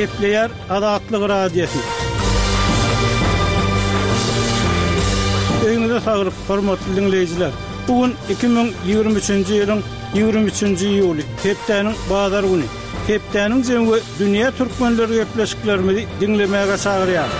Gepleýär Azatlyk Radiosy. Öýüňize saglyk, hormatly diňleýjiler! Bu gün 2023-nji ýylyň 23-nji iýuly, hepdäniň bazar güni. Hepdäniň jemi we dünýä türkmenleri gepleşiklerimizi diňlemäge çagyrýar.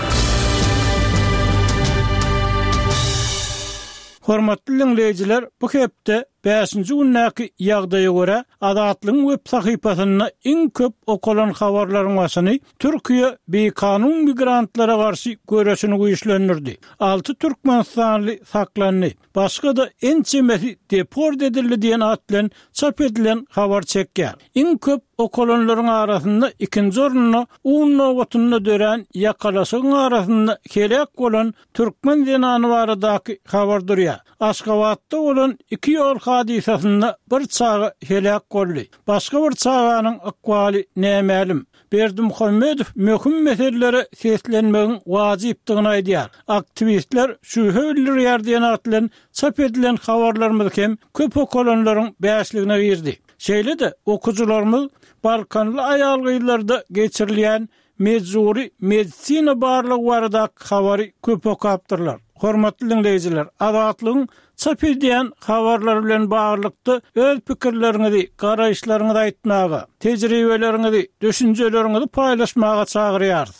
Hormatly diňleýjiler, bu hepde bäşinji gündäki ýagdaýa görä, Azatlygyň web sahypasynda iň köp okalan habarlaryň başyny Türkiýe bikanun migrantlara garşy göreşini güýçlendirdi. Alty türkmenistanly saklandy, başga-da ençemesi deport edildi diýen at bilen çap edilen habar çekýär. Iň köp okalanlaryň arasynda ikinji orunda un nobatynda dörän ýakalaşygyň arasynda heläk bolan Türkmen zenany baradaky habar durýar. Aşgabatda bolan iki ýol hadysasynda bir çaga heläk boldy. Başga bir çaganyň ykbaly nämälim. Berdimuhamedow möhüm meselelere seslenmegiň wajypdygyny aýdýar. Aktiwistler şübhe bildirýär diýen at bilen çap edilen habarlarymyz hem köp okalanlaryň bäşligine girdi. Şeýle-de, okyjylarymyz balkanly aýal-gyzlarda geçirilýän Mejbury medisina barlagy baradaky habary köp okapdyrlar. Hormatly diňleýjiler, Azatlygyň çap edýän habarlary bilen baglylykda öz pikirleriňizi, garaýyşlaryňyzy aýtmaga, tejribeleriňizi, düşünjeleriňizi paýlaşmaga çagyrýarys.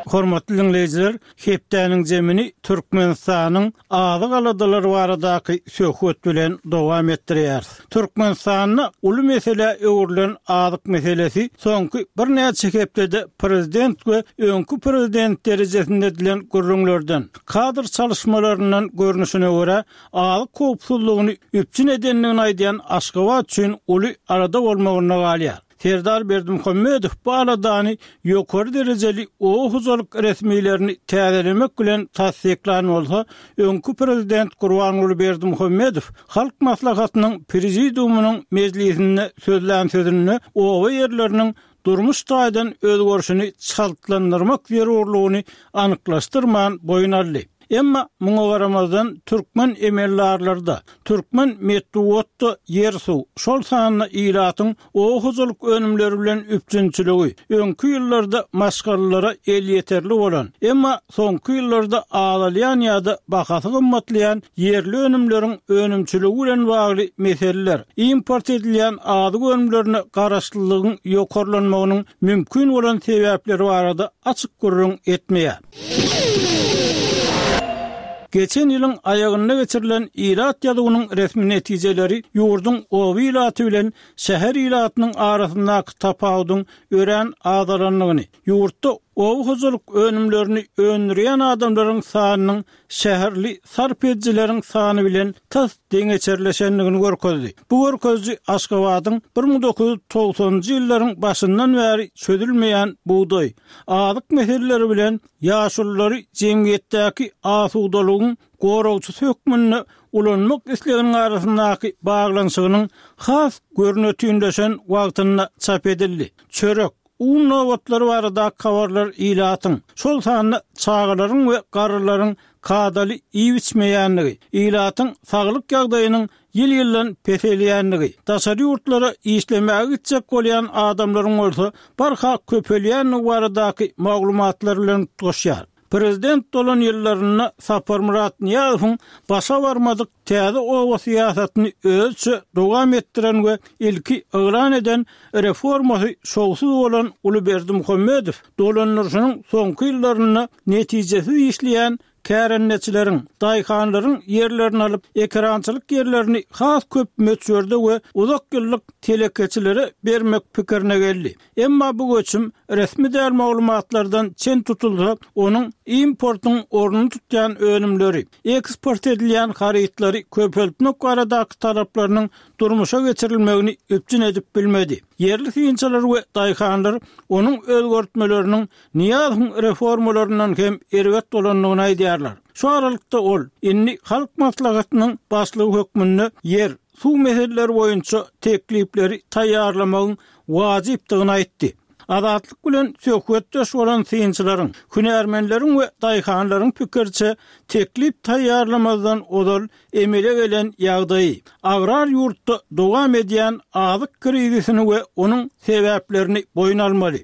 Hormatly diňleýjiler, Hepdäniň jemini Türkmenistanyň azyk aladalary baradaky söhbet bilen dowam etdirýäris. Türkmenistanda uly meselä öwrülen azyk meselesi soňky birnäçe hepdede prezident we öňki prezident derejesinde edilen gürrüňlerden, kadr çalyşmalaryndan görnüşine görä, azyk howpsuzlygyny üpjün edendigini aýdýan Aşgabat üçin uly alada bolmagynda galýar. Serdar Berdimuhamedow bu aladany ýokary derejeli oba hojalyk resmilerini täzelemek bilen tassyklan bolsa, öňki prezident Gurbanguly Berdimuhamedow Halk Maslahatynyň Prezidiumynyň mejlisinde sözlän sözünde oba ýerleriniň durmuş taýdan özgerişini çaltlandyrmak zerurlygyny anyklaşdyrman boýun aldy. Emma muňa garamazdan türkmen emeldarlary-da, türkmen metbugat-da ýer-suw, şol sanda ilatyň oba hojalyk önümleri bilen üpjünçiligi öňki ýyllarda maşgalalara elýeterli bolan, emma soňky ýyllarda azalýan ýa-da bahasy gymmatlaýan ýerli önümleriň önümçiligi bilen bagly meseleler, import edilýän azyk önümlerine garaşlylygyň ýokarlanmagynyň mümkin bolan sebäpleri barada açyk gürrüň etmeýär. Geçen ýylyň aýagynda geçirilen ilat ýazuwynyň resmi netijeleri ýurduň oba ilaty bilen şäher ilatynyň arasyndaky tapawudyň örän azalandygyny, ýurtda oba hojalyk önümlerini öndürýän adamlaryň sanynyň şäherli sarp edijileriň sany bilen tas deňeçerleşendigini görkezdi. Bu görkeziji Aşgabadyň 1990-njy ýyllaryň başyndan bäri çözülmeýän bugdaý, azyk meseleleri bilen ýaşululary jemgyýetdäki asudalygyň goragçysy hökmünde ulanmak isleginiň arasyndaky baglanyşygynyň has görnetinleşen wagtynda çap edildi. Çörek, un nobatlary baradaky habarlar ilatyň, şol sanda çagalaryň we garrylaryň kadaly iýip-içmeýändigi, ilatyň saglyk ýagdaýynyň ýyl-ýyldan peselýändigi, daşary ýurtlara işlemäge gitjek bolýan adamlaryň bolsa barha köpelýändigi baradaky maglumatlar bilen utgaşýar. Prezident bolan ýyllarynda Saparmyrat Nyýazowyň başa barmadyk täze oba syýasatyny özüçe dowam etdiren we ilki yglan eden reformasy şowsuz bolan uly Berdimuhamedow dolandyryşynyň soňky ýyllarynda netijesiz işleýän kärendeçileriň, daýhanlaryň ýerlerini alyp, ekerançylyk ýerlerini has köp möçberde we uzak ýyllyk telekeçilere bermek pikirine geldi. Emma bu göçüm resmi däl maglumatlardan çen tutulsa, onuň importyň ornuny tutýan önümleri, eksport edilýän harytlary köpeltmek baradaky talaplarynyň durmuşa geçirilmegini üpjün edip bilmedi. Ýerli synçylar we daýhanlar onuň özgertmeleriniň Nyýazowyň reformalaryndan hem erbet bolandygyny aýdýarlar. Şu aralykda ol, indi Halk Maslahatynyň başlygy hökmünde ýer, suw meseleleri boýunça teklipleri taýýarlamagyň wajypdygyny aýtdy. Azatlyk bilen söhbetdeş bolan synçylaryň, hünärmenleriň we daýhanlaryň pikiriçe, teklip taýýarlamazdan ozal emele gelen ýagdaýy, agrar ýurtda dowam edýän azyk krizisini we onuň sebäplerini boýun almaly.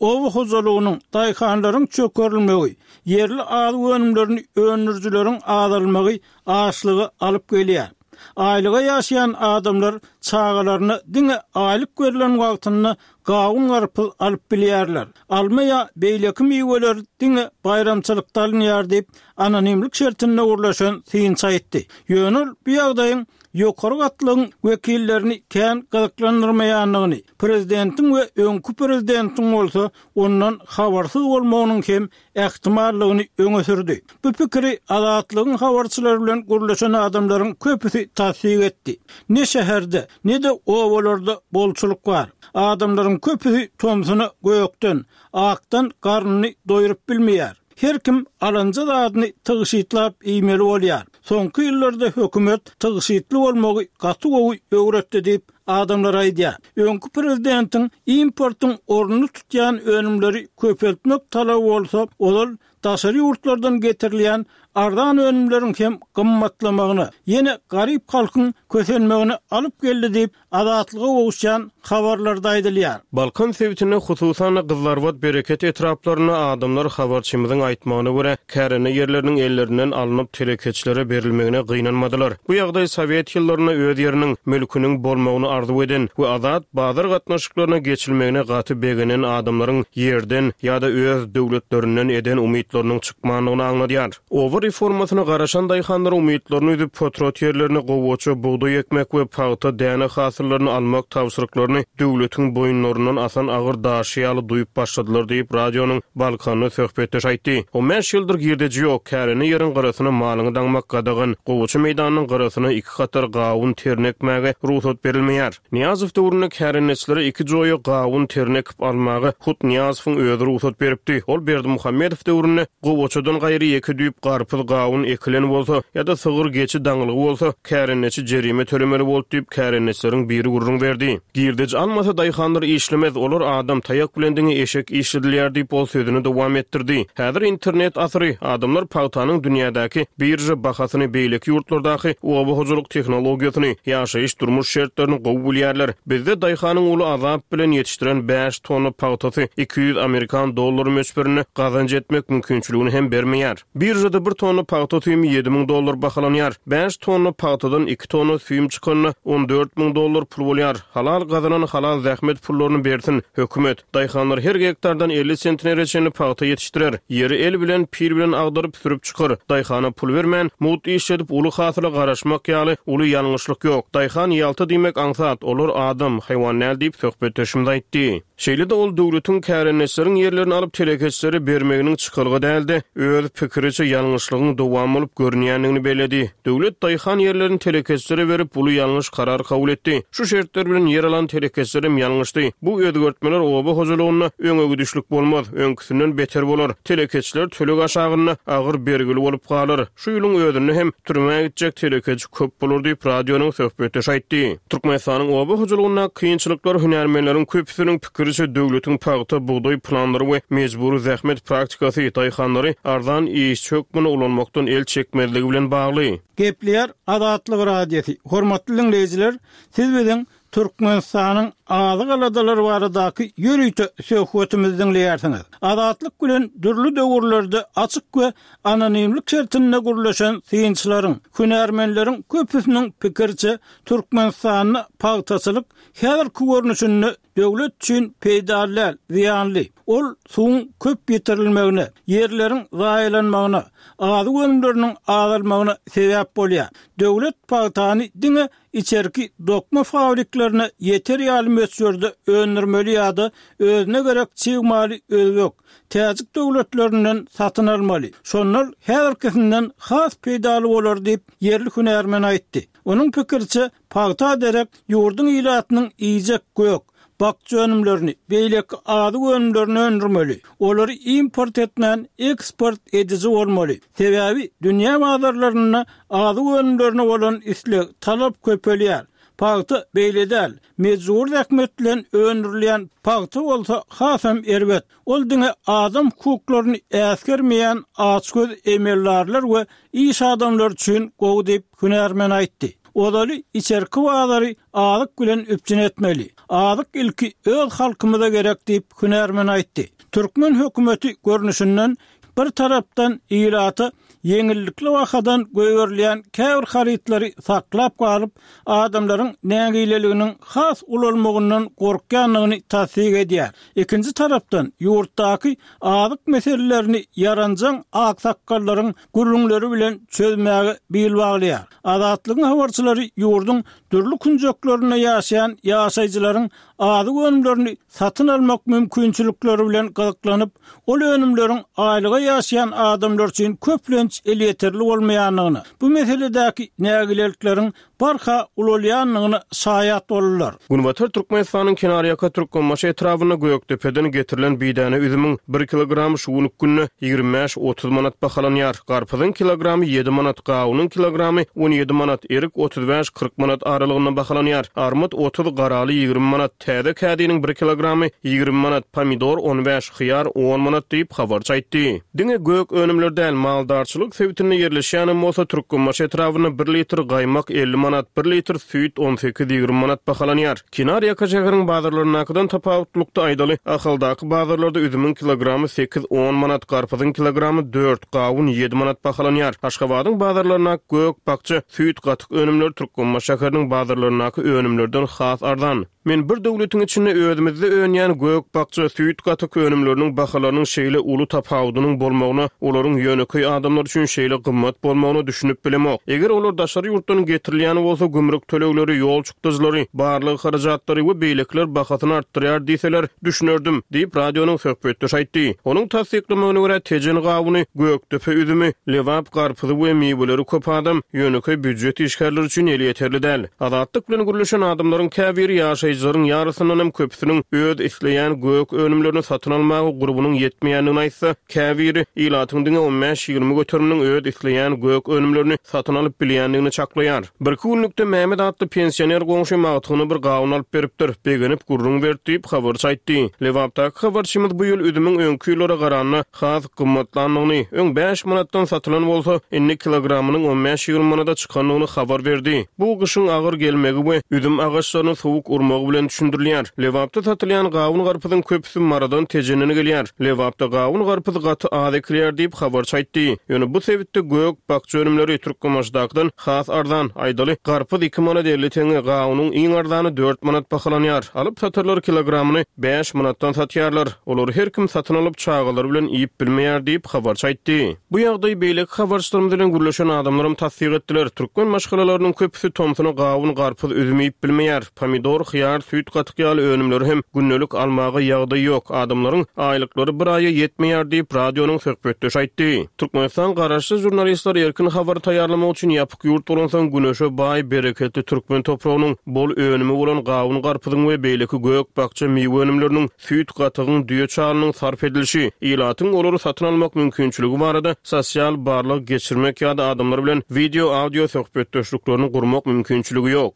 Oba hojalygynyň, daýhanlaryň çökerilmegi, ýerli azyk önümlerini öndürijileriň azalmagy açlyga alyp gelýär. Aýlyga ýaşaýan adamlar çagalaryna diňe aýlyk berlen wagtynda gawun-garpyz alyp bilýärler. Alma ýa beýleki miweler diňe baýramçylykda alynýar diýip, anonimlik şertinde gürleşen synçy aýtdy. Ýöne ol bu ýagdaýyň ýokary gatlagyň wekillerini kän gyzyklandyrmaýandygyny, prezidentiň we öňki prezidentiň bolsa ondan habarsyz bolmagynyň hem ähtimallygyny öňe sürdi. Bu pikiri Azatlygyň habarçylary bilen gürleşen adamlaryň köpüsi tassyk etdi. Ne şäherde, ne-de obalarda bolçulyk bar. Adamlaryň köpüsi tomsuna gökden, akdan garnyny doýrup bilmeýär. Her kim alanja zadyny tygşytlap iýmeli bolýar. Soňky ýyllarda hökümet tygşytly bolmagy gaty gowy öwretdi diýip, adamlar aýdýar. Öňki prezidentiň importyň ornuny tutýan önümleri köpeltmek talaby bolsa, ozal daşary ýurtlardan getirilýän arzan önümleriň hem gymmatlamagyna, ýene garyp halkyň kösenmegine alyp geldi diýip, Azatlyga gowuşýan habarlarda aýdylýar. Balkan sebitinde, hususan-da, Gyzlarbat, Bereket etraplarynda adamlar habarçymyzyň aýtmagyna görä, kärende ýerleriniň ellerinden alnyp, telekeçilere berilmegine gynanmadylar. Bu ýagdaý sowet ýyllarynda öz ýeriniň, mülküniň bolmagyny arzuw eden we azat bazar gatnaşyklaryna geçilmegine gaty begenen adamlaryň ýerden ýa-da öz döwletlerinden eden umytlarynyň çykmandygyny aňladýar. Oba reformasyna garaşan daýhanlar umytlaryny üzüp, potrat ýerlerine gowaça, bugdaý ekmek we pagta, däne hasyllaryny almak tabşyryklaryny döwletiň boýunlaryndan asan agyr daşy ýaly duýup başladylar diýip, radionyň Balkanly söhbetdeşi aýtdy. On bäş ýyldyr girdeji ýok, kärende ýeriň gyrasyna malyňy daňmak gadagan, gowaça meýdanynyň gyrasyna iki hatar gawun terini ekmäge rugsat berilmeýär. Nyýazow döwründe kärendeçilere iki joýa gawun terini ekip almaga hut Nyýazowyň özi rugsat beripdi. Ol Berdimuhamedow döwründe gowaçadan gaýry ýeke düýp garpyz, gawun ekilen bolsa ýa-da sygyr, geçi daňylgy bolsa, kärendeçi jerime tölemeli boldy diýip, kärendeçileriň biri gürrüň berdi. Girdeji almasa daýhanlar işlemez, olar adam, taýak bilen diňe eşek işledilýär diýip, ol sözüni dowam etdirdi. Häzir internet asyry, adamlar pagtanyň dünýädäki birža bahasyny, beýleki ýurtlardaky oba hojalyk tehnologiýasyny, ýaşaýyş-durmuş şertlerini gowy bilýärler. Bizde daýhanyň uly azap bilen ýetişdiren bäş tonna pagtasy 200 amerikan dollary möçberinde gazanç etmek mümkinçiligini hem bermeýär. Biržada bir tonna pagta süýümi 7000 dollar bahalanýar. Bäş tonna pagtadan iki tonna süýüm çykanda 14 müň dollar pul bolýar. Halal gazanan halal zähmet pullaryny bersin, hökümet. Daýhanlar her gektardan 50 sentnere çenli pagta ýetişdirer. Ýeri el bilen, pil bilen agdaryp, sürüp çykar. Daýhana pul bermän, mugt işledip, uly hasyla garaşmak ýaly uly ýalňyşlyk ýok. Daýhan ýalta diýmek aňsat, olar adam, haýwan däl diýip, söhbetdeşimiz aýtdy. Şeýle-de ol döwletiň kärendeçileriň ýerlerini alyp telekeçilere bermeginiň çykalga däl-de, öz pikiriçe ýalňyşlygyň dowamy bolup görünýändigini belledi. Döwlet daýhan ýerlerini telekeçilere berip, uly ýalňyş karar kabul etdi. Şu şertler bilen ýer alan telekeçilerem ýalňyşdy. Bu özgertmeler oba hojalygynda öňe gidişlik bolmaz, öňküsinden beter bolar. Telekeçiler töleg aşagynda agyr bergili bolup galar. Şu ýylyň özünde hem türmä gitjek telekeçi köp bolar diýip, radionyň söhbetdeşi aýtdy. Türkmenistanyň oba hojalygyndaky kynçylyklar hünärmenleriň köpüsiniň pikiriçe döwletiň pagta, bugdaý planlary we mejbury zähmet praktikasy daýhanlary arzan işçi hökmünde ulanmakdan el çekmezligi bilen bagly. Gepleýär Azatlyk Radiosy, Hormatly diňleýjiler, siz biziň Türkmenistanyň azyk aladalary baradaky ýörite söhbetimizi diňleýärsiňiz. Azatlyk bilen dürli döwürlerde açyk we anonimlik şertinde gürleşen synçylaryň, hünärmenleriň köpüsiniň pikiriçe, Türkmenistanda pagtaçylyk häzirki görnüşinde döwlet üçin peýdaly däl, zyýanly. Ol suwuň köp ýitirilmegine, ýerleriň zaýalanmagyna, azyk önümleriniň azalmagyna sebäp bolýar. Döwlet pagtany diňe içerki dokma fabriklerine ýeter ýaly möçberde öndürmeli ýa-da özüne gerek çig maly özbek, täjik döwletlerinden satyn almaly. Şonda ol häzirkisinden has peýdaly bolar diýip, ýerli hünärmen aýtdy. Onuň pikiriçe, pagta derek ýurduň ilatynyň iýjek gök, bakja önümlerini, beýleki azyk önümlerini öndürmeli. Olary import etmän, eksport ediji bolmaly. Sebäbi dünýä bazarlarynda azyk önümlerine bolan isleg, talap köpelýär. Pagta beýle däl. Mejbury zähmet bilen öndürilýän pagta bolsa hasam erbet. Ol diňe adam hukuklaryny äsgermeýän açgöz emeldarlar we iş adamlary üçin gowy diýip, hünärmen aýtdy. Ozaly içerki bazary azyk bilen üpjün etmeli. Azyk ilki öz halkymyza gerek diýip, hünärmen aýtdy. Türkmen hökümeti görnüşinden Bir tarapdan ilata ýeňillikli bahadan goýberilýän käbir harytlary saklap galyp, adamlaryň nägileliginiň has ulalmagyndan gorkýandygyny tassyk edýär. Ikinji tarapdan, ýurtdaky azyk meselelerini ýaranjaň aksakgallaryň gürrüňleri bilen çözmäge bil baglaýar. Azatlygyň habarçylary ýurduň dürli künjeklerinde ýaşaýan ýaşaýjylaryň azyk önümlerini satyn almak mümkinçilikleri bilen gyzyklanyp, ol önümleriň aýlyga ýaşaýan adamlar üçin köplenç elýeterli bolmaýandygyna, bu meseledäki nägilelikleriň barha ulalýandygyna şaýat boldular. Günbatar Türkmenistanyň kenarýaka Türkmenbaşy etrabynda Gökdepeden getirilen bidäne üzümiň bir kilogramy şu günki günde 25, 30 manat bahalanýar. Garpyzyň kilogramy ýedi manat, gawunyň kilogramy 17 manat, erik 35, 40 manat aralygynda bahalanýar. Armyt 30, garaly 20 manat, Täze kädiniň bir kilogramy 20 manat, pomidor on bäş, hyýar on manat diýip, habarçy aýtdy. Diňe gök önümler däl, maldarçylyk sebitinde ýerleşýänem bolsa, Türkmenbaşy etrabynda bir litr gaýmak 50 manat, bir litr süýt on sekiz-ýigrimi manat bahalanýar. Kenarýaka şäheriň bazarlaryndakydan tapawutlylykda aýdaly, Ahaldaky bazarlarda üzümiň kilogramy sekiz-on manat, garpyzyň kilogramy dört, gawun ýedi manat bahalanýar. Aşgabadyň bazarlaryndaky gök, bakja, süýt, gatyk önümleri Türkmenbaşy şäheriniň bazarlaryndaky önümlerden has arzan. Men bir döwletiň içinde özümizde önýän gök, bakja, süýt, gatyk önümleriniň bahalarynyň şeýle uly tapawudynyň bolmagyna, olaryň ýönekeý adamlar üçin şeýle gymmat bolmagyna düşünip bilemok. Eger olar daşary ýurtdan getirilýän bolsa, gümrük tölegleri, ýol çykdajylary, barlag harajatlary we beýlekiler bahasyny artdyrýar diýseler, düşünerdim, diýip, radionyň söhbetdeşi aýtdy. Onuň tassyklamagyna görä, Tejen gawuny, Gökdepe üzümi, Lebap garpyzy we miweleri köp adam, ýönekeý býujet işgärleri üçin elýeterli däl. Azatlyk bilen gürleşen adamlaryň käbiri ýaşaýjylaryň ýarysyndan hem köpüsiniň öz isleýän gök önümlerini satyn almaga gurbunyň ýetmeýändigini aýtsa, käbiri ilatyň diňe on bäş-ýigrimi göteriminiň öz isleýän gök önümlerini satyn alyp bilýändigini çaklaýar. Birki günlükde Mehmet atly pensioner goňşym agtygyna bir gawun alyp beripdir. Begenip gürrüň berdi diýip, habarçy aýtdy. Lebapdaky habarçymyz bu ýyl üzümiň öňki ýyllara garanda has gymmatlandygyny, öň bäş manatdan satylan bolsa, indi kilogramynyň on bäş-ýigrimi manada çykandygyny habar berdi. Bu gyşyň agyr gelmegi we üzüm agaçlaryny sowuk urmagy bilen düşündirilýär. Lebapda satylýan gawun-garpyzyň köpüsi Marydan, Tejenden gelýär. Lebapda gawun-garpyz gaty az ekilýär diýip, habarçy aýtdy. Ýöne bu sebitde gök, bakja önümleri Türkmenbaşydakydan has arzan. Aýdaly, garpyz iki manat 50 teňňe, gawunyň iň arzany dört manat bahalanýar. Alyp-satarlar kilogramyny bäş manatdan satýarlar. Olary her kim satyn alyp, çagalary bilen iýip bilmeýär diýip, habarçy aýtdy. Bu ýagdaýy beýleki habarçylarymyz bilen gürleşen adamlaram tassyk etdiler. Türkmen maşgalalarynyň köpüsi tomsuna gawun, garpyz, üzüm iýip bilmeýär. Pomidor, hyýar, süýt gatyk ýaly önümleri hem gündelik almaga ýagdaý ýok. Adamlaryň aýlyklary bir aýa ýetmeýär diýip, radionyň söhbetdeşi aýtdy. Türkmenistan garaşsyz žurnalistler erkin habar taýýarlamak üçin ýapyk ýurt bolansoň, güneşe baý, bereketli türkmen topragynyň bol önümi bolan gawun-garpyzyň we beýleki gök-bakja miwe önümleriniň süýt gatygyň, düýe çalynyň sarp edilişi, ilatyň olary satyn almak mümkinçiligi barada sosial barlag geçirmek ýa-da adamlar bilen wideo-audio söhbetdeşliklerini gurmak mümkinçiligi ýok.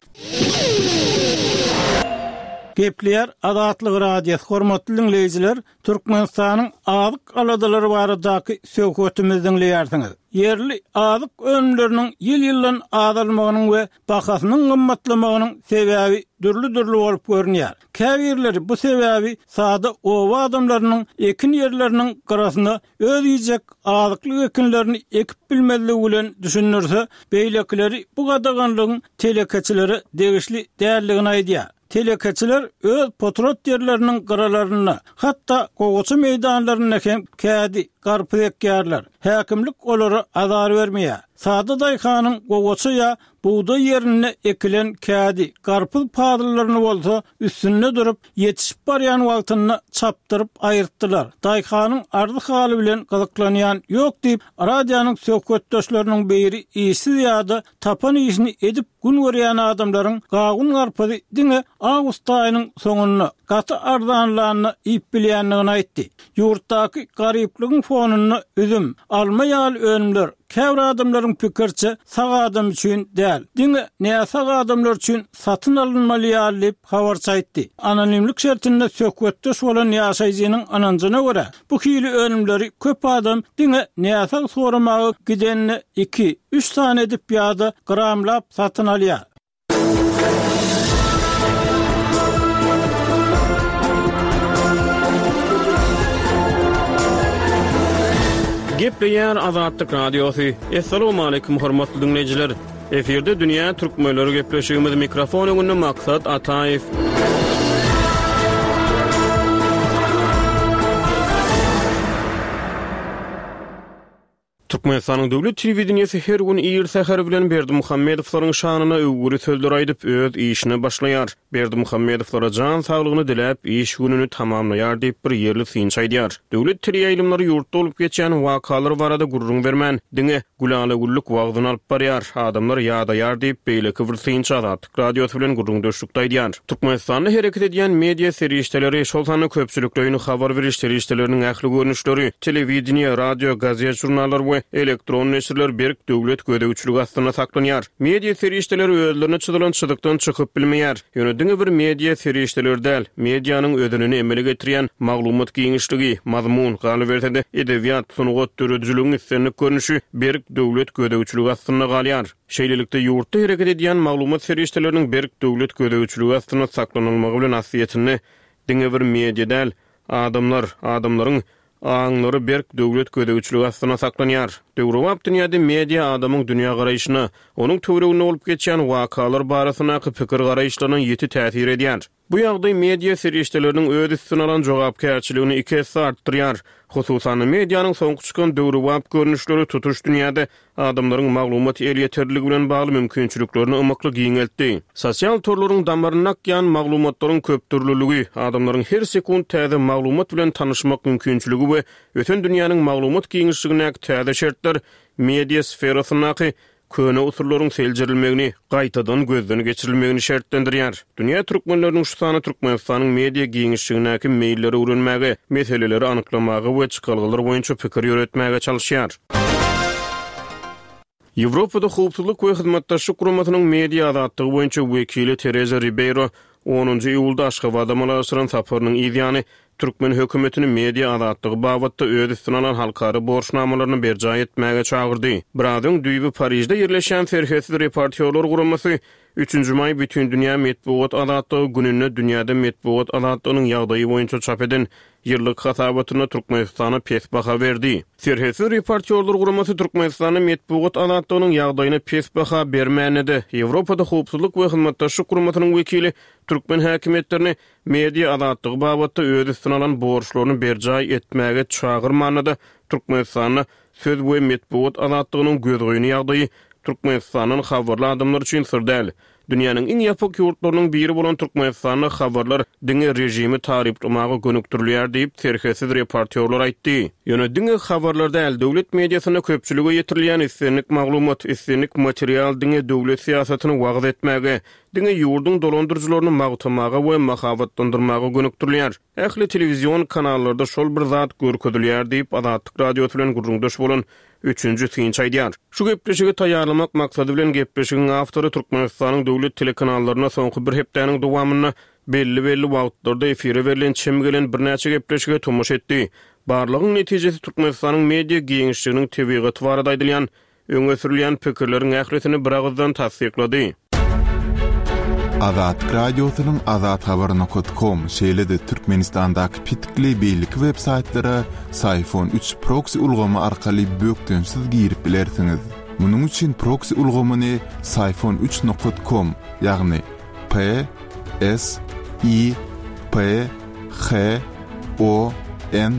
Gepleýär Azatlyk Radiosy, Hormatly diňleýjiler, Türkmenistanyň azyk aladalary baradaky söhbetimizi diňleýärsiňiz. Ýerli azyk önümleriniň ýyl-ýyldan azalmagynyň we bahasynyň gymmatlamagynyň sebäbi dürli-dürli bolup görünýär. Käbirleri bu sebäbi sada oba adamlarynyň ekin ýerleriniň gyrasyna öz iýjek azyklyk ekinlerini ekip bilmezligi bilen düşündirse, beýlekileri bu gadaganlygyň telekeçilere degişli däldigini aýdýar. Telekeçiler öz potrat ýerleriniň gyralarynda, hatda gowaça meýdanlarynda hem kädi, garpyz ekýärler. Häkimlik olara azar bermeýär. Sada daýhanyň gowaça ýa bugdaý ýerinde ekilen kädi, garpyz pazyllaryny bolsa üstünde durup, ýetişip barýan wagtynda çapdyryp aýyrtdylar. Daýhanyň arzy-haly bilen gyzyklanýan ýok diýip, radionyň söhbetdeşleriniň biri işsiz ýa-da tapan işini edip gün görýän adamlaryň gawun-garpyzy diňe awgust aýynyň soňunda, gaty arzanlanda iýip bilýändigini aýtdy. Ýurtdaky garyplygyň fonunda üzüm, alma ýaly önümler, käbir adamlaryň pikiriçe, sag adam üçin däl, diňe näsag adamlar üçin satyn alynmaly ýaly diýip, habarçy aýtdy. Anonimlik şertinde söhbetdeş bolan ýaşaýjynyň ynanjyna görä, bu hili önümleri köp adam diňe näsag soramaga gidende iki, üç sany edip ýa-da gramlap satyn alýar. Gepleýär Azatlyk Radiosy. Assalamualaikum hormatly diňleýjiler. Efirde dünýä türkmenleri gepleşigimiz mikrofon öňünde Maksat Ataýew. Türkmenistanyň döwlet telewideniýesi her gün ir säher bilen Berdimuhamedowlaryň şanyna öwgüli sözler aýdyp, öz işine başlaýar. Berdimuhamedowlara jan saglygyny diläp, iş gününi tamamlaýar diýip, bir ýerli synçy aýdýar. Döwlet teleýaýlymlary ýurtda bolup geçýän wakalar barada gürrüň bermän, diňe gülala-güllük wagzyny alyp barýar, adamlar ýadaýar diýip, beýleki bir synçy Azatlyk Radiosy bilen gürrüňdeşlikde aýdýar. Türkmenistanda hereket edýän media serişdeleri, şol sanda köpçülikleýin habar beriş serişdeleriniň ähli görnüşleri, telewideniýe, radio, gazet-žurnallar we elektron neşirler berk döwlet gözegçiligi astynda saklanýar. Media serişdeleri özlerine çyzylan çyzykdan çykyp bilmeýär. Ýöne diňe bir media serişdeleri däl, medianyň özenini emele getirýän maglumat giňişligi, mazmun, galyberse-de, edebiýat, sungat, döredijiligiň islendik görnüşi berk döwlet gözegçiligi astynda galýar. Şeýlelikde, ýurtda hereket edýän maglumat serişdeleriniň berk döwlet gözegçiligi astynda saklanylmagy bilen aslyýetinde diňe bir media däl, adamlar, adamlaryň aňlary berk döwlet gözegçiligi astynda saklanýar. Döwrebap dünýäde media adamyň dünýägaraýşyna, onuň töwereginde bolup geçýän wakalar barasyndaky pikir-garaýyşlaryna ýiti täsir edýär. Bu ýagdaý media serişdeleriniň öz üstüne alan jogapkärçiligini iki esse artdyrýar. Hususan-da, medianyň soňky çykan döwrebap görnüşleri tutuş dünýäde adamlaryň maglumat elýeterliligi bilen bagly mümkinçiliklerini ymykly giňeltdi. Sosial torlaryň damarynda akýan maglumatlaryň köpdürlüligi, adamlaryň her sekunt täze maglumat bilen tanyşmak mümkinçiligi we ösen dünýäniň maglumat giňişligindäki täze şertler media sferasyndaky köne usullaryň seljerilmegini, gaýtadan gözden geçirilmegini şertlendirýär. Dünýä türkmenleriniň şu sany Türkmenistanyň media giňişligindäki meýilleri öwrenmäge, meseleleri anyklamaga we çykalgalar boýunça pikir ýöretmäge çalyşýar. Ýewropada Howpsuzlyk we Hyzmatdaşlyk Guramasynyň media azatlygy boýunça wekili Tereza Ribeýro onunjy iýulda Aşgabada amala aşyran saparynyň yz ýany, türkmen hökümetini media azatlygy babatda öz üstüne alan halkara borçnamalaryny berjaý etmäge çagyrdy. Biraz öň düýbi Parižde ýerleşýän Serhetsiz reportýorlar guramasy Üçünji maý Bütindünýä metbugat azatlygy gününde dünýäde metbugat azatlygynyň ýagdaýy boýunça çap eden ýyllyk hasabatynda Türkmenistana pes baha berdi. Serhetsiz reportýorlar guramasy Türkmenistanda metbugat azatlygynyň ýagdaýyna pes baha bermände-de, Ýewropada Howpsuzlyk we Hyzmatdaşlyk Guramasynyň wekili türkmen häkimiýetlerini media azatlygy babatda öz üstüne alan borçlaryny berjaý etmäge çagyrmanda-da, Türkmenistanda söz we metbugat azatlygynyň gözgyny ýagdaýy Türkmenistandan habarly adamlar üçin syr däl. Dünýäniň iň ýapyk ýurtlarynyň biri bolan Türkmenistanda habarlar diňe režimi taryplamaga gönükdirilýär diýip, serhetsiz reportýorlar aýtdy. Ýöne diňe habarlar däl, döwlet mediasynda köpçülige ýetirilýän islendik maglumat, islendik material diňe döwlet syýasatyny wagyz etmäge, diňe ýurduň dolandyryjylaryny magtamaga we mahabatlandyrmaga gönükdirilýär. Ähli telewizion kanallarda şol bir zat görkezilýär diýip, Azatlyk Radiosy bilen gürrüňdeş bolan üçünji synçy aýdýar. Şu gepleşigi taýýarlamak maksady bilen gepleşigiň awtory Türkmenistanyň döwlet telekanallarynda soňky bir hepdäniň dowamynda belli-belli wagtlarda efire berlen çem gelen birnäçe gepleşige tomaşa etdi. Barlagyň netijesi Türkmenistanyň media giňişliginiň tebigaty barada aýdylýan Öňe sürülýän pikirleriň ählisini biragyzdan tassyklady. Azatlyk Radiosynyň Azathabar nokat kom, şeýle-de Türkmenistandaky petikli beýleki web saýtlara Syfon üç proksi ulgamy arkaly bökdençsiz girip bilersiňiz. Munuň üçin proksi ulgamyny Syfon üç nokat kom, ýagny P S I P H O N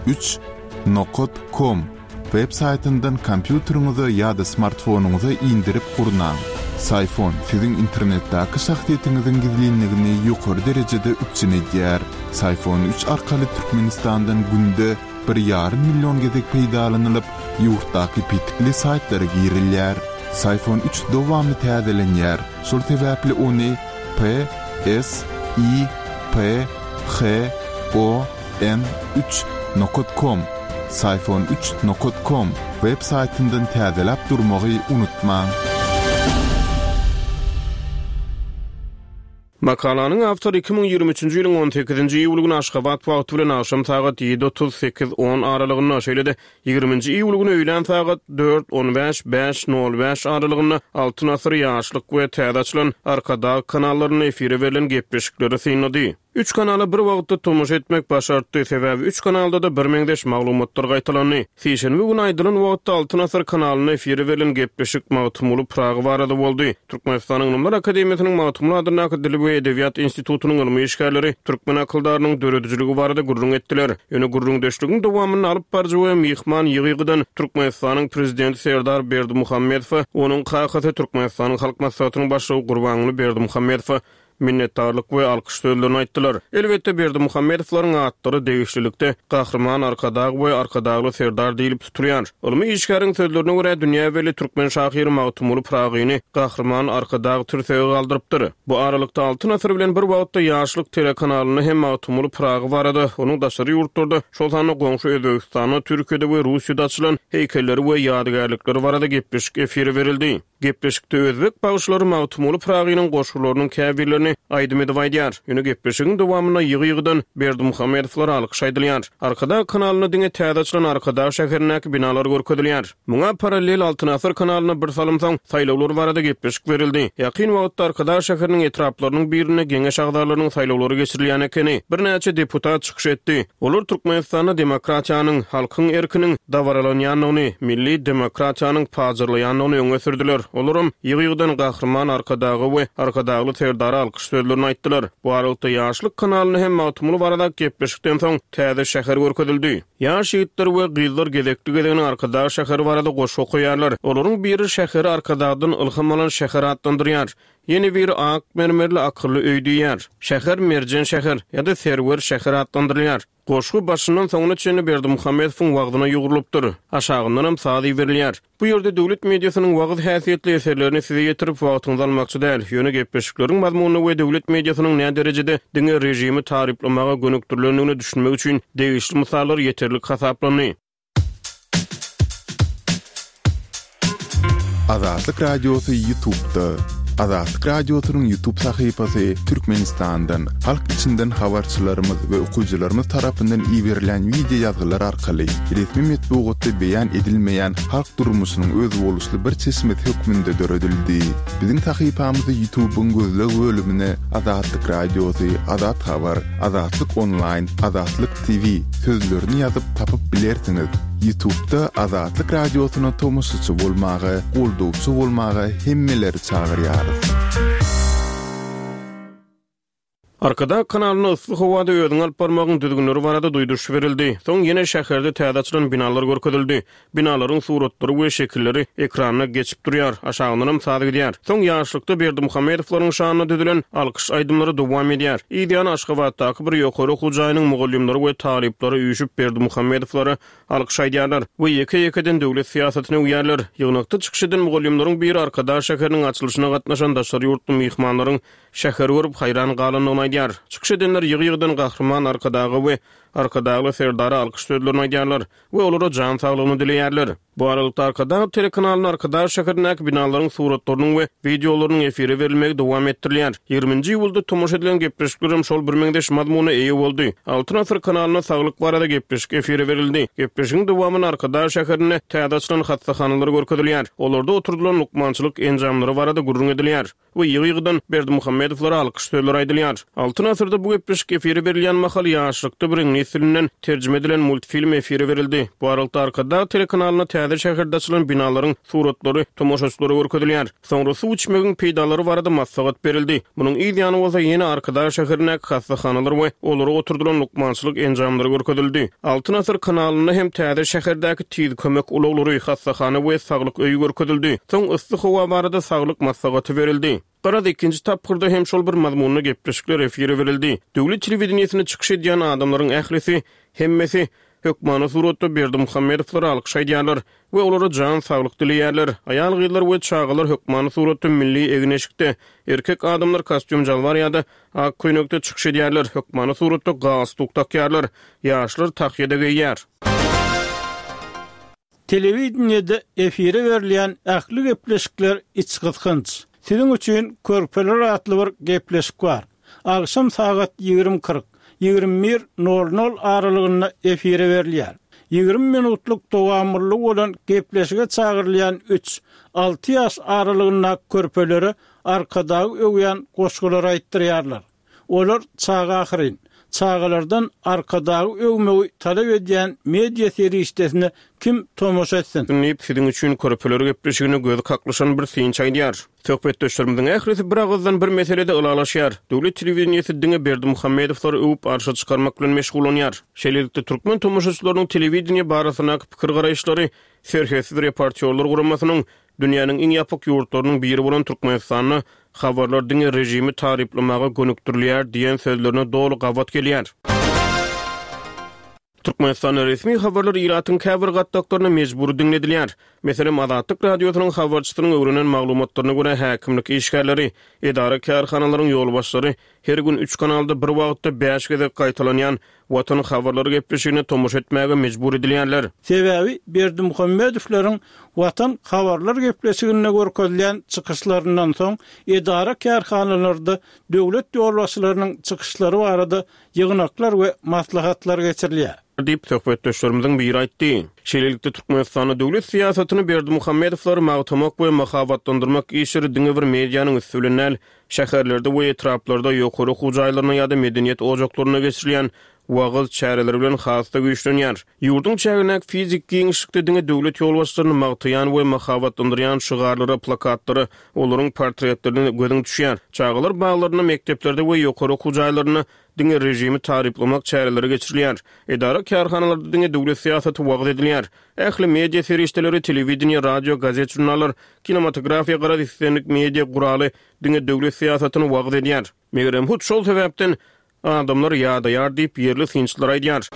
üç nokat kom Web saýtyndan kompýuteriňize ýa-da smartfonyňyza indirip gurnaň. Syfon siziň internetdäki şahsyýetiňiziň gizlinligini ýokary derejede üpjün edýär. Syfon üç arkaly Türkmenistandan günde bir ýarym million gezek peýdalanylyp, ýurtdaky petikli saýtlara girilýär. Syfon üç dowamly täzelenýär, şol sebäpli ony P S I P H O N üç nokat kom. Syfon üç nokat kom web saýtyndan täzeläp durmagy unutmaň. Makalanyň awtory 2023-nji ýylyň on sekizinji iýul güni Aşgabat wagty bilen agşam sagat ýedi 38 8.10 aralygynda, şeýle-de ýigriminji iýul güni öýlän sagat dört 15 bäş nol bäş aralygynda Altyn asyr, Ýaşlyk we täze açylan Arkadag kanallarynda efire berlen gepleşikleri synlady. Üç kanala bir wagtda tomaşa etmek başartdy, sebäbi üç kanalda-da birmeňzeş maglumatlar gaýtalandy. Sişenbe güni aýdylan wagtda Altyn asyr kanalynda efire berlen gepleşik Magtymguly Pyragy barada boldy. Türkmenistanyň Ylymlar akademiýasynyň Magtymguly adyndaky Dil we edebiýat institutynyň ylmy işgärleri türkmen akyldarynyň döredijiligi barada gürrüň etdiler. Ýöne gürrüňdeşligiň dowamynda alyp baryjy we myhman ýygy-ýygydan Türkmenistanyň Prezidenti Serdar Berdimuhamedowa, onuň kakasy Türkmenistanyň Halk Maslahatynyň Başlygy Gurbanguly Berdimuhamedowa minnetdarlyk we alkyş sözlerini aýtdylar. Elbetde, Berdimuhamedowlaryň atlary degişlilikde Gahryman Arkadag we Arkadagly Serdar diýlip tutulýar. Ylmy işgäriň sözlerine görä, dünýä belli türkmen şahyry Magtymguly Pyragyny Gahryman Arkadag tirsege galdyrypdyr. Bu aralykda, Altyn asyr bilen bir wagtda Ýaşlyk telekanalynda hem Magtymguly Pyragy barada, onuň daşary ýurtlarda, şol sanda goňşy Özbegistanda, Türkiýede we Russiýada açylan heýkelleri we ýadygärlikleri barada gepleşik efire berildi. Gepleşikde özbek bagşylary Magtymguly Pyragynyň goşgularynyň käbirlerini aýdym edip aýdýar. Ýöne gepleşigiň dowamynda ýygy-ýygydan Berdimuhamedowlara alkyş aýdylýar. Arkadag kanalynda diňe täze açylan Arkadag şäherindäki binalar görkezilýär. Muňa parallel Altyn asyr kanalynda bir salym soň saýlawlar barada gepleşik berildi. Ýakyn wagtda Arkadag şäheriniň etraplarynyň birinde geňeş agzalarynyň saýlawlary geçirilýän ekeni. Birnäçe deputat çykyş etdi. Olar Türkmenistanda demokratiýanyň, halkyň erkiniň dabaralanýandygyny, milli demokratiýanyň pajarlaýandygyny öňe sürdüler. Olaram ýygy-ýygydan Gahryman Arkadaga we Arkadagly Serdara alkyş sözlerini aýtdylar. Bu aralykda Ýaşlyk kanalynda hem Magtymguly baradaky gepleşikden soň täze şäher görkezildi. Ýaş ýigitler we gyzlar gezekli-gezegine Arkadag şäheri barada goşgy okaýarlar. Olaryň biri şäheri Arkadagdan ylham alan şäher atlandyrýar. Ýene biri ak mermerli akylly öý diýýär. Şäher Merjen şäher ýa-da Serwer şäher atlandyrylýar. Goşgy başyndan soňuna çenli Berdimuhamedowyň wagzyna ýugrulypdyr. Aşagyndanam saz iberilýär. Bu ýerde döwlet mediasynyň wagyz häsiýetli eserlerini size ýetirip wagtyňyzy almakçy däl. Ýöne gepleşikleriň mazmunyna we döwlet mediasynyň näderejede diňe režimi taryplamaga gönükdirilendigine düşünmek üçin degişli mysallar ýeterlik hasaplandy. Azatlyk Radiosy Ýutubda. Azatlyk Radiosynyň Ýutub sahypasy Türkmenistandan, halk içinden habarçylarymyz we okyjylarymyz tarapyndan iberilen wideo ýazgylar arkaly resmi metbugatda beýan edilmeýän halk durmuşynyň özboluşly bir çeşmesi hökmünde döredildi. Biziň sahypamyzy Ýutubyň gözleg bölümine Azatlyk Radiosy, Azat Habar, Azatlyk Onlaýn, Azatlyk TV sözlerini ýazyp tapyp bilersiňiz. Ýutubda Azatlyk Radiosyna tomaşaçy bolmaga, goldawçy bolmaga hemmeleri çagyrýarys. Arkadag kanalynda yssy howada özüňi alyp barmagyň düzgünleri barada duýduryş berildi. Soň ýene şäherde täze açylan binalar görkezildi. Binalaryň suratlary we şekilleri ekranda geçip durýar, aşagyndanam saz gidýär. Soň ýaşlykda Berdimuhamedowlaryň şanyna düzülen alkyş aýdymlary dowam edýär. Yz ýany Aşgabatdaky bir ýokary okuw jaýynyň mugallymlary we talyplary üýşüp Berdimuhamedowlara alkyş aýdýarlar we ýeke-ýekeden döwlet syýasatyny öwýärler. Ýygnakda çykyş eden mugallymlaryň biri Arkadag şäheriniň açylyşyna gatnaşan daşary ýurtly myhmanlaryň şäheri görüp haýran galandygyny aýdýar. Çykyş edenler ýygy-ýygydan Gahryman Arkadaga we Arkadagly Serdara alkyş sözlerini aýdýarlar. we olara jan saglygyny dileýärler. Bu aralykda Arkadag telekanalynda Arkadag şäherindäki binalaryň suratlarynyň we wideolarynyň efire berilmegi dowam etdirilýär. Ýigriminji iýulda tomaşa edilen gepleşiklerem şol birmeňzeş mazmuna eýe boldy. Altyn asyr kanalynda saglyk barada gepleşik efire berildi. Gepleşigiň dowamynda Arkadag şäherinde täze açylan hassahanalar görkezilýär. Olarda oturdylan lukmançylyk enjamlary barada gürrüň edilýär. We ýygy-ýygydan Berdimuhamedowlara alkyş sözleri aýdylýar. Altyn asyrda bu gepleşik efire berilýän mahaly Ýaşlykda bir iňlis dilinden terjime edilen multfilm efire berildi. Bu aralykda Arkadag telekanalynda täze şäherde açylan binalaryň suratlary tomaşaçylara görkezilýär. Soňra suw içmegiň peýdalary barada maslahat berildi. Munuň yz ýany bolsa ýene Arkadag şäherindäki hassahanalar we olara oturdylan lukmançylyk enjamlary görkezildi. Altyn asyr kanalynda hem täze şäherdäki tiz kömek ulaglary, hassahana we saglyk öýi görkezildi. Soň yssy howa barada saglyk maslahaty berildi. Garaz, ikinji tapgyrda hem şol bir mazmunda gepleşikler efire berildi. Döwlet telewideniýesinde çykyş edýän adamlaryň ählisi, hemmesi, hökmany suratda Berdimuhamedowlara alkyş aýdýarlar we olara jan saglyk dileýärler. Aýal-gyzlar we çagalar hökmany suratda milli egin-eşikde, erkek adamlar kostýum-jalbar ýa-da ak köýnekde çykyş edýärler, hökmany suratda galstuk dakýarlar, ýaşlar tahýa-da geýýär. Telewideniýede efire berilýän ähli gepleşikler içgysgynç. Siziň üçin Körpeler atly bir gepleşik bar. Agşam sagat 20 40, 21 nol nol aralygynda efire berilýär. 20 minutlyk dowamlylygy bolan gepleşige çagyrylýan üç, alty ýaş aralygyndaky körpelere Arkadagy öwýän goşgulary aýtdyrýarlar. Olar çaga ahyryn. Çagalardan Arkadagy öwmegi talap edýän media serişdesine kim tomaşa etsin? Diýip, Siziň üçin körpeler gepleşigine gözi kaklyşan bir synçy aýdýar. Söhbetdeşlerimiziň ählisi bir agyzdan bir meselede ylalaşýar. Döwlet telewideniýesi diňe Berdimuhamedowlary öwüp arşa çykarmak bilen meşgullanýar. Şeýlelikde, türkmen tomaşaçylarynyň telewideniýe barasyndaky pikir-garaýyşlary Serhetsiz reportýorlar guramasynyň Dünýäniň iň ýapyk ýurtlarynyň biri bolan Türkmenistanda habarlar diňe režimi taryplamaga gönükdirilýär diýen sözlerine doly gabat gelýär. Türkmenistanda resmi habarlar ilatyň käbir gatlaklaryna mejbury diňledilýär. Meselem, Azatlyk Radiosynyň habarçysynyň öwrenen maglumatlaryna görä, häkimlik işgärleri, edara-kärhanalaryň ýolbaşçylary her gün üç kanalda bir wagtda bäş gezek gaýtalanýan Watan habarlary gepleşigine tomaşa etmäge mejbur edilýärler. Sebäbi Berdimuhamedowlaryň Watan habarlar gepleşiginde görkezilýän çykyşlaryndan soň edara-kärhanalarda döwlet ýolbaşçylarynyň çykyşlary barada ýygnaklar we maslahatlar geçirilýär. Diýip, söhbetdeşlerimiziň biri aýtdy. Şeýlelikde, Türkmenistanda döwlet syýasatyny Berdimuhamedowlary magtamak we mahabatlandyrmak işleri diňe bir medianyň üsti bilen däl, Şäherlerde we etraplarda ýokary okuw jaýlarynda ýa-da medeniýet ojaklarynda geçirilýän wagyz çäreleri bilen has-da güýçlenýär. Ýurduň çägindäki fiziki giňişlikde diňe döwlet ýolbaşçylaryny magtaýan we mahabatlandyrýan şygarlara, plakatlara, olaryň portretlerine gözüň düşýär. Çagalar baglarynda, mekdeplerde we ýokary okuw jaýlarynda diňe režimi taryplamak çäreleri geçirilýär. Edara-kärhanalarda diňe döwlet syýasaty wagyz edilýär. Ähli media serişdeleri, telewideniýe, radio, gazet-žurnallar, kinematografiýa garaz islendik media guraly diňe döwlet syýasatyny wagyz edýär. Megerem hut şol sebäpden adamlar ýadaýar diýip, ýerli synçylar aýdýar.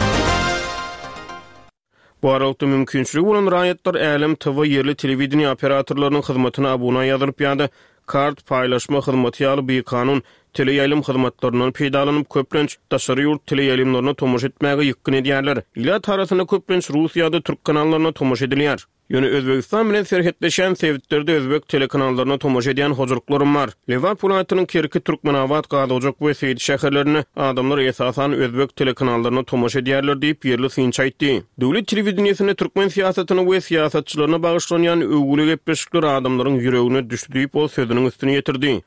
Bu aralykda mümkinçiligi bolan raýatlar Älem TV ýerli telewideniýe operatorlarynyň hyzmatyna abuna ýazylyp ýa-da kart paýlaşma hyzmaty ýaly bikanun teleýaýlym hyzmatlaryndan peýdalanyp, köplenç, daşary ýurt teleýaýlymlaryna tomaşa etmäge ýykgyn edýärler. Ilat arasynda köplenç rus ýa-da türk kanallaryna tomaşa edilýär. Ýöne Özbegistan bilen serhetleşýän sebitlerde özbek telekanallaryna tomaşa edýän hojalyklaram bar. Lebap welaýatynyň Kerki, Türkmenabat, Gazojak we Seýdi şäherlerinde adamlar esasan özbek telekanallaryna tomaşa edýärler diýip, ýerli synçy aýtdy. Döwlet telewideniýesinde türkmen syýasatyna we syýasatçylaryna bagyşlanýan öwgüli gepleşikler adamlaryň ýüregine düşdi diýip, ol sözüniň üstüni ýetirdi.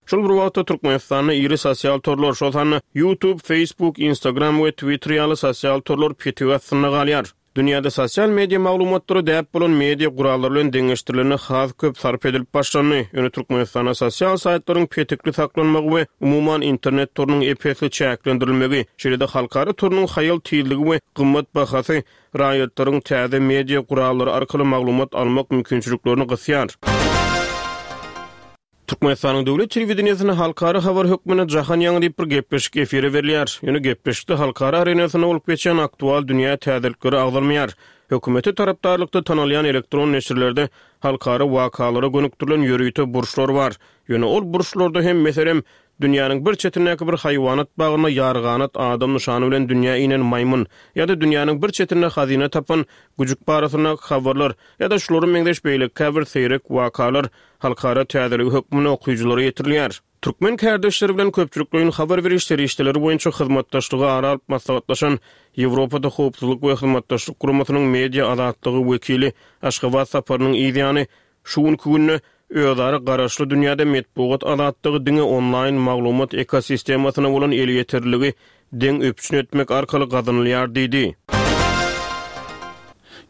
Şol bir wagtda, Türkmenistanda iri sosial torlar, şol sanda YouTube, Facebook, Instagram we Twitter ýaly sosial torlar petik astynda galýar. Dünýäde sosial media maglumatlary däp bolan media gurallary bilen deňeşdirilende has köp sarp edilip başlandy. Ýöne Türkmenistanda sosial saýtlaryň petikli saklanmagy we umuman internet torunyň ep-esli çäklendirilmegi, şeýle-de halkara torunyň haýal tizligi we gymmat bahasy raýatlaryň täze media gurallary arkaly maglumat almak mümkinçiliklerini gysýar. Türkmenistanyň döwlet telewideniýesinde halkara habar hökmünde Jahan ýaňy diýip bir gepleşik efire berilýär. Ýöne gepleşikde halkara arenasynda bolup geçýän aktual dünýä täzelikleri agzalmaýar. Hökümete tarapdarlykda tanalýan elektron neşirlerde halkara wakalara gönükdirilen ýörite burçlar bar. Ýöne ol burçlarda hem, meselem, dünýäniň bir çetindäki bir haýwanat bagynda ýarganat adam nyşany bilen dünýä inen maýmyn ýa-da dünýäniň bir çetinde hazyna tapan güjük barasyndaky habarlar ýa-da şulara meňzeş beýleki käbir seýrek wakalar halkara täzeligi hökmünde okyjylara ýetirilýär. Türkmen kärdeşleri bilen köpçülikleýin habar beriş serişdeleri boýunça hyzmatdaşlygy ara alyp maslahatlaşan Ýewropada Howpsuzlyk we Hyzmatdaşlyk Guramasynyň media azatlygy wekili Aşgabat saparynyň yz ýany şu günki günde özara garaşly dünýäde metbugat azatlygy diňe onlaýn maglumat ekosistemasyna bolan elýeterliligi deň üpjün etmek arkaly gazanylýar diýdi.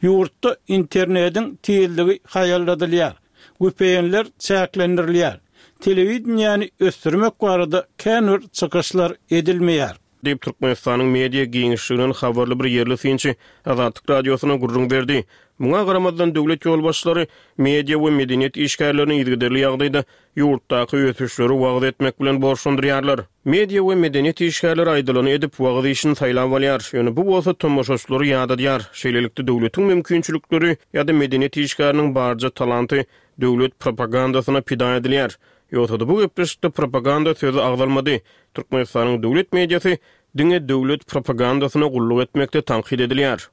Ýurtda internediň tizligi haýalladylýar. VPN-ler çäklendirilýär. Telewideniýäni ösdürmek barada kän bir çykyşlar edilmeýär. Diýip, Türkmenistanyň media giňişliginden habarly bir ýerli synçy Azatlyk Radiosyna gürrüň berdi. Muňa garamazdan, döwlet ýolbaşçylary media we medeniýet işgärlerini yzygiderli ýagdaýda ýurtdaky ösüşleri wagyz etmek bilen borçlandyrýarlar. Media we medeniýet işgärleri aýdylany edip, wagyz işini saýlap alýar. Ýöne bu bolsa tomaşaçylary ýadadýar. Şeýlelikde, döwletiň mümkinçilikleri ýa-da medeniýet işgäriniň barja talanty döwlet propagandasyna pida edilýär. Ýogsa-da bu gepleşikde propaganda sözi agzalmady. Türkmenistanyň döwlet mediasy diňe döwlet propagandasyna gulluk etmekde tankyt edilýär.